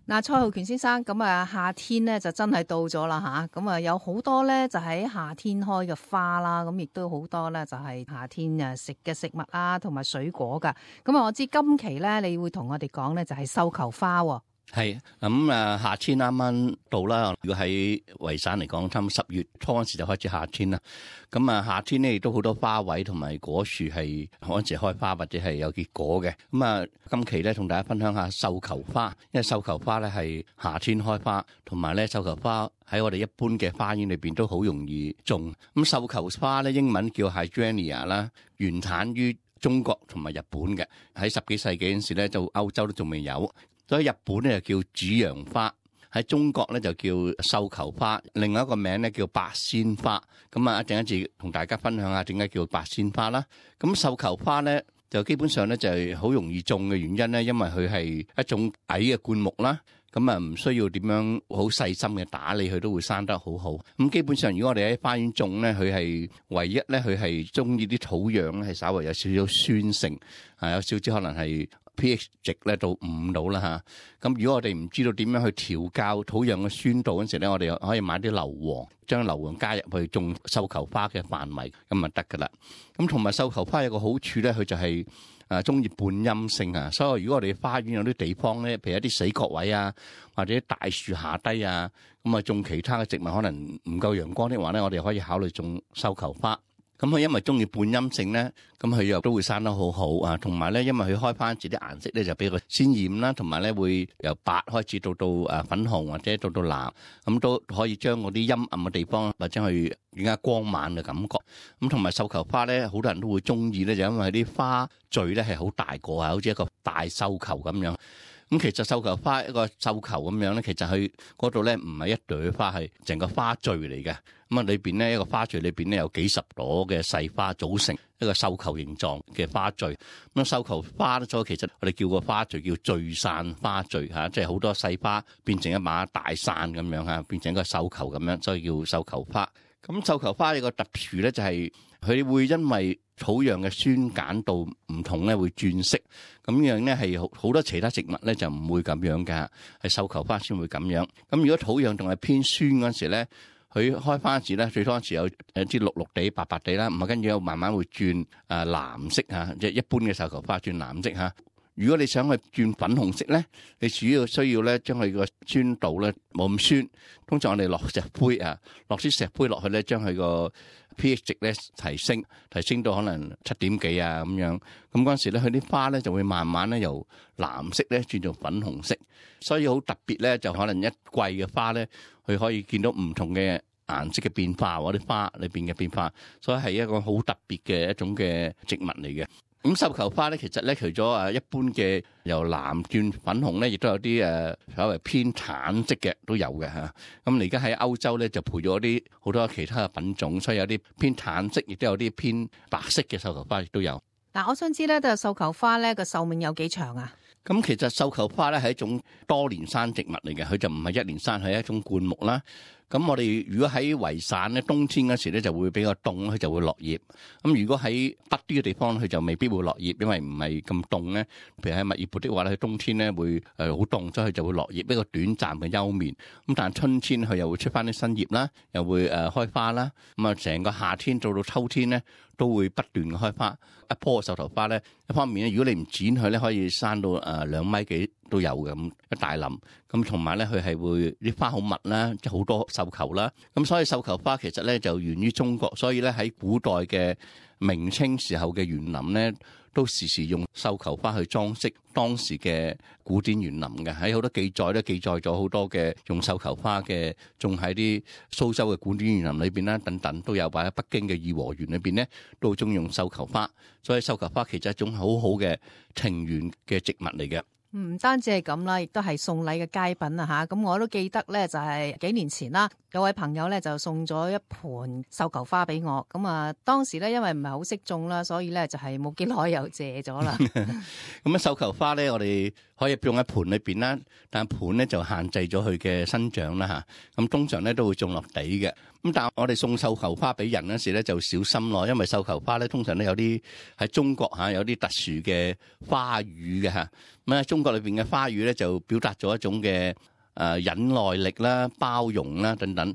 嗱，蔡浩權先生，咁啊夏天咧就真係到咗啦吓，咁啊有好多咧就喺夏天開嘅花啦，咁亦都好多咧就係夏天食嘅食物啊，同埋水果噶。咁啊，我知今期咧你會同我哋講咧就係繡球花。係咁夏天啱啱到啦。如果喺維省嚟講，差唔多10月初嗰時就開始夏天啦。咁夏天咧亦都好多花卉同埋果樹係嗰陣時開花或者係有結果嘅。咁今期咧同大家分享下繡球花，因為繡球花咧係夏天開花，同埋咧繡球花喺我哋一般嘅花園裏邊都好容易種。咁繡球花咧英文叫 Hydrangea 啦，原產於中國同埋日本嘅。喺10幾世紀嗰陣時咧，就歐洲都仲未有。所以日本咧就叫主陽花，喺中國咧就叫繡球花，另外一個名咧叫八仙花。咁一陣間同大家分享下點解叫八仙花啦。咁繡球花咧就基本上咧就係好容易種嘅原因咧，因為佢係一種矮嘅灌木啦。咁唔需要點樣好細心嘅打理，佢都會生得好好。咁基本上如果我哋喺花園種咧，佢係唯一咧，佢係中意啲土壤咧係稍微有少少酸性，有少少可能係pH 值咧到5度啦嚇。咁如果我哋唔知道點樣去調校土壤嘅酸度嗰陣時咧，我哋可以買啲硫磺，將硫磺加入去種繡球花嘅範圍，咁就得噶啦。咁同埋繡球花有個好處咧，佢就係中意半陰性啊。所以如果我哋花園有啲地方咧，譬如一啲死角位啊，或者大樹下低啊，咁種其他嘅植物可能唔夠陽光的話咧，我哋可以考慮種繡球花。咁佢因為中意半陰性咧，咁佢又都會生得好好啊。同埋咧，因為佢開花時啲顏色咧就比較鮮豔啦，同埋咧會由白開始到粉紅或者到藍，咁都可以將嗰啲陰暗嘅地方或者去更加光猛嘅感覺。咁同埋繡球花咧，好多人都會中意咧，就因為啲花序咧係好大個啊，好似一個大繡球咁樣。咁其實繡球花一個繡球咁樣咧，其實佢嗰度咧唔係一朵花，係成個花序嚟嘅。咁裏邊咧一個花序裏邊咧有幾十朵嘅細花組成一個繡球形狀嘅花序。咁繡球花咧，所以其實我哋叫個花序叫聚散花序嚇，即係好多細花變成一把大傘咁樣嚇，變成一個繡球咁樣，所以叫繡球花。咁繡球花有個特殊咧，就係佢會因為土壤嘅酸鹼度唔同咧，會轉色。咁樣咧係好多其他植物咧就唔會咁樣㗎，係繡球花先會咁樣。咁如果土壤仲係偏酸嗰陣時咧，佢開花時咧最初時有啲綠綠地、白白地啦，唔係跟住又慢慢會轉藍色嚇，即係一般嘅繡球花轉藍色嚇。如果你想去轉粉紅色咧，你主要需要咧將佢個酸度咧冇咁酸。通常我哋落石灰落啲石灰落去咧，將佢個 pH 值咧提升到可能7點幾咁樣。咁嗰陣時咧，佢啲花咧就會慢慢咧由藍色咧轉做粉紅色。所以好特別咧，就可能一季嘅花咧，佢可以見到唔同嘅顏色嘅變化，或者花裏邊嘅變化。所以係一個好特別嘅一種嘅植物嚟嘅。咁繡球花咧，其實咧除咗一般嘅由藍轉粉紅咧，亦都有啲所謂偏橙色嘅都有嘅嚇。咁而家喺歐洲咧就培咗啲好多其他嘅品種，所以有啲偏橙色，亦都有啲偏白色嘅繡球花亦都有。嗱，我想知咧，繡球花咧個壽命有幾長啊？咁其實繡球花咧係一種多年生植物嚟嘅，佢就唔係一年生，係一種灌木啦。咁我哋如果喺維省咧，冬天嗰時咧就會比較凍，佢就會落葉。咁如果喺北啲嘅地方，佢就未必會落葉，因為唔係咁凍咧。譬如喺墨爾本的話咧，佢冬天咧會好凍，所以佢就會落葉，一個短暫嘅休眠。咁但係春天佢又會出翻啲新葉啦，又會開花啦。咁啊，成個夏天到秋天咧都會不斷嘅開花。一棵繡球花咧，一方面咧，如果你唔剪佢咧，可以生到2米幾都有嘅，咁一大林。咁同埋咧，佢係會啲花好密啦，即係好多繡球啦。咁所以繡球花其實咧就源於中國，所以咧喺古代嘅明清時候嘅園林咧，都時時用繡球花去裝飾當時嘅古典園林嘅。喺好多記載都記載咗好多嘅用繡球花嘅，種喺啲蘇州嘅古典園林裏邊啦，等等都有。或者北京嘅頤和園裏邊咧，都中意用繡球花。所以繡球花其實係一種好好嘅庭園嘅植物嚟嘅。唔單止係咁啦，亦都係送禮嘅佳品啊吓！咁我都記得咧，就係幾年前啦，有位朋友咧就送咗一盆繡球花俾我。咁啊，當時咧因為唔係好識種啦，所以咧就係冇幾耐又謝咗啦。咁繡球花咧，我哋可以種喺盆裏邊啦，但係盆咧就限制咗佢嘅生長啦吓。咁通常咧都會種落地嘅。咁但係我哋送繡球花俾人嗰時咧就小心咯，因為繡球花咧通常都有啲喺中國有啲特殊嘅花語嘅吓。咁喺中國裏邊嘅花語咧，就表達咗一種嘅忍耐力啦、包容啦等等。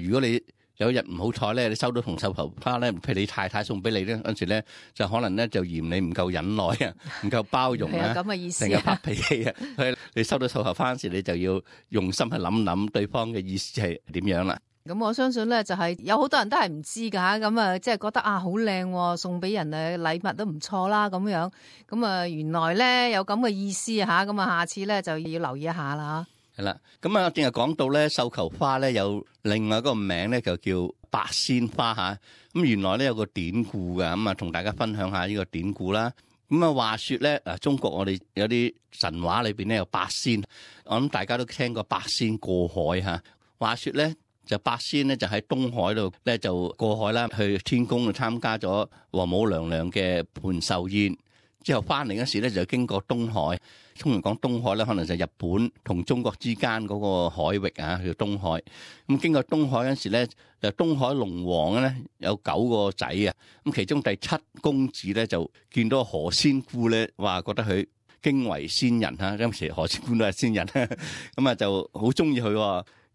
如果你有一日唔好彩咧，你收到同繡球花咧，譬如你太太送俾你咧，嗰陣時咧就可能咧就嫌你唔夠忍耐啊，唔夠包容啊，咁嘅意思成日發脾氣啊。所以你收到繡球花嗰時，你就要用心去諗諗對方嘅意思係點樣啦。咁我相信咧，就係有好多人都係唔知噶，咁啊，即係覺得啊好靚，送俾人嘅禮物都唔錯啦，咁樣，咁啊原來咧有咁嘅意思吓，咁啊下次咧就要留意一下啦。係啦，咁啊，正係講到咧，繡球花咧有另外一個名咧，就叫八仙花吓。咁原來咧有個典故噶，咁啊同大家分享下呢個典故啦。咁啊話說咧，中國我哋有啲神話裏邊咧有八仙，我諗大家都聽過八仙過海吓。話說咧就八仙咧就喺東海度咧就過海啦，去天宮度參加咗王母娘娘嘅盤壽宴，之後翻嚟嗰時咧就經過東海。通常講東海咧，可能就日本同中國之間嗰個海域啊，叫東海。咁經過東海嗰時咧，就東海龍王咧有9個仔啊。咁其中第7公子咧就見到何仙姑咧，話覺得佢驚為仙人嚇。當時何仙姑都係仙人，咁啊就好中意佢。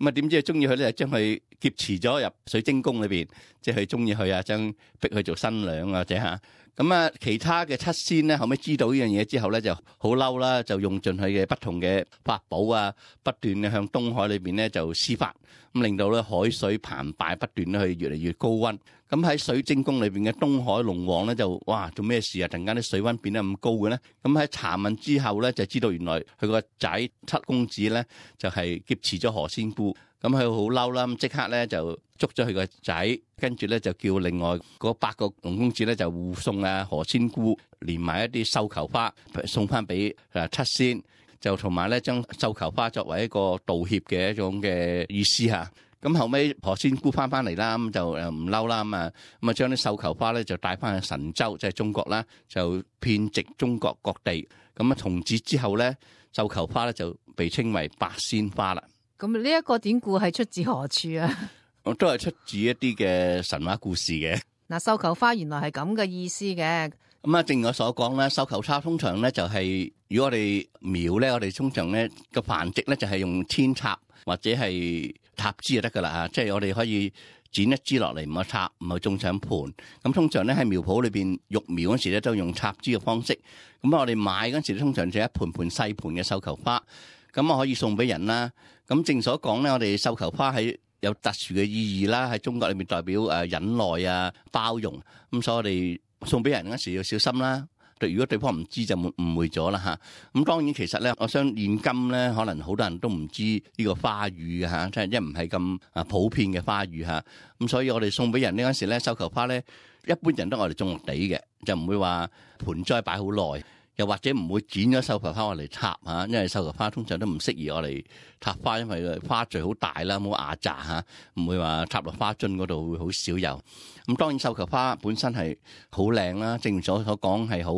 咁啊點知中意佢咧，就將佢劫持咗入水晶宮裏邊，即係佢中意佢啊，將逼佢做新娘或者嚇。咁啊，其他嘅7仙咧，後尾知道呢樣嘢之後咧，就好嬲啦，就用盡佢嘅不同嘅法寶啊，不斷嘅向東海裏邊咧就施法，咁令到咧海水澎湃，不斷咧去越嚟越高溫。咁喺水晶宮裏邊嘅東海龍王咧就哇做咩事啊？突然間啲水溫變得咁高嘅咧？咁喺查問之後咧，就知道原來佢個仔7公子咧就係劫持咗何仙姑。咁佢好嬲啦，咁即刻咧就捉咗佢個仔，跟住咧就叫另外嗰8個龍公子咧就護送啊何仙姑，連埋一啲繡球花送翻俾7仙，就同埋咧將繡球花作為一個道歉嘅一種嘅意思嚇。咁後尾何仙姑翻嚟啦，咁就唔嬲啦，咁啊將啲繡球花咧就帶翻去神州，即係中國啦，就遍植中國各地。咁啊從此之後咧，繡球花咧就被稱為八仙花啦。咁呢一個典故係出自何處啊？我都係出自一啲嘅神話故事嘅。嗱，繡球花原來係咁嘅意思嘅。咁啊，正如我所講咧，繡球花通常咧就係，如果我哋苗咧，我哋通常咧個繁殖咧就係用扦插或者係插枝就得噶啦嚇，即係我哋可以剪一枝落嚟，唔好插，唔好種上盆。咁通常咧喺苗圃裏邊育苗嗰時咧都用插枝嘅方式。咁我哋買嗰時通常就一盆盆細盆嘅繡球花，咁我可以送俾人啦。咁正所講咧，我哋繡球花係有特殊嘅意義啦，喺中國裏面代表忍耐啊、包容。咁所以我哋送俾人嗰時要小心啦。如果對方唔知就誤會咗啦嚇。咁當然其實咧，我想現今咧可能好多人都唔知呢個花語嘅嚇，即係因為唔係咁普遍嘅花語嚇。咁所以我哋送俾人呢嗰時咧，繡球花咧一般人都我哋種落地嘅，就唔會話盆栽擺好耐。又或者唔會剪咗繡球花我嚟插嚇，因為繡球花通常都唔適宜我嚟插花，因為花序好大啦，冇牙扎嚇，唔會話插落花樽嗰度會好少有。咁當然繡球花本身係好靚啦，正如所講係好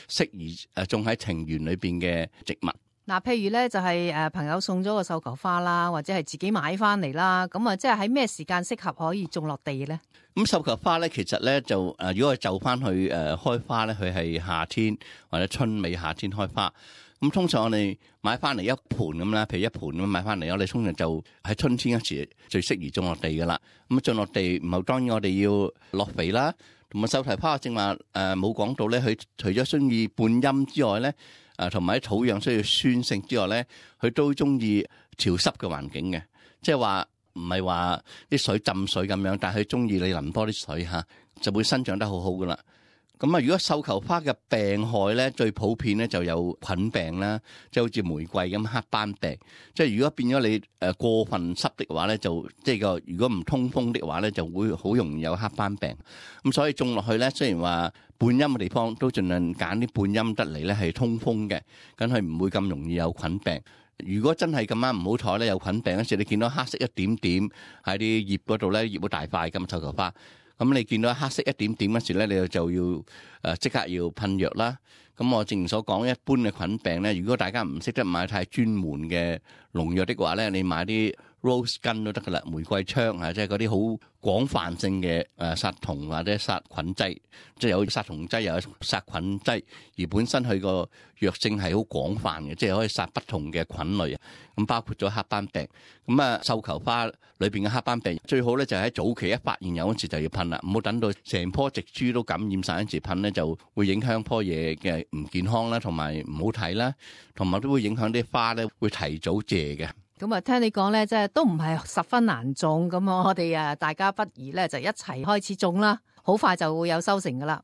適宜種喺庭園裏邊嘅植物。嗱，譬如咧就係朋友送咗個繡球花啦，或者係自己買翻嚟啦，咁啊即係喺咩時間適合可以種落地咧？咁繡球花咧，其實咧就如果係就翻去開花咧，佢係夏天或者春尾夏天開花。咁通常我哋買翻嚟一盆咁啦，譬如一盆咁買翻嚟，我哋通常就喺春天嗰時最適宜種落地噶啦。咁種落地唔係當然我哋要落肥啦，同埋繡球花正話冇講到咧，佢除咗中意半陰之外咧，同埋喺土壤需要酸性之外咧，佢都中意潮濕嘅環境嘅，即係話唔係話啲水浸水咁樣，但係佢中意你淋多啲水嚇，就會生長得好好噶啦。咁啊，如果繡球花嘅病害咧，最普遍咧就有菌病啦，即係好似玫瑰咁黑斑病。即係如果變咗你過分濕的話咧，就即係個如果唔通風的話咧，就會好容易有黑斑病。咁所以種落去咧，雖然話半陰嘅地方都盡量揀啲半陰得嚟咧係通風嘅，咁佢唔會咁容易有菌病。如果真係咁啱唔好彩咧有菌病嗰時，你見到黑色一點點喺啲葉嗰度咧，葉好大塊咁繡球花。咁你見到黑色一點點嗰時咧，你就要即刻要噴藥啦。咁我正如所講，一般嘅菌病咧，如果大家唔識得買太專門嘅農藥的話咧，你買啲 rose gun 都得噶啦，玫瑰槍啊，即係嗰啲好廣泛性嘅殺蟲或者殺菌劑，即係有殺蟲劑又有殺菌劑，而本身佢個藥性係好廣泛嘅，即係可以殺不同嘅菌類啊。咁包括咗黑斑病，咁繡球花裏邊嘅黑斑病最好咧就喺早期一發現有嗰時就要噴啦，唔好等到成棵植株都感染晒嗰時噴咧，就會影響棵嘢嘅唔健康啦，同埋唔好睇啦，同埋都會影響啲花咧會提早謝嘅。咁啊，聽你講咧，即係都唔係十分難種，咁我哋大家不如咧就一齊開始種啦，好快就會有收成噶啦。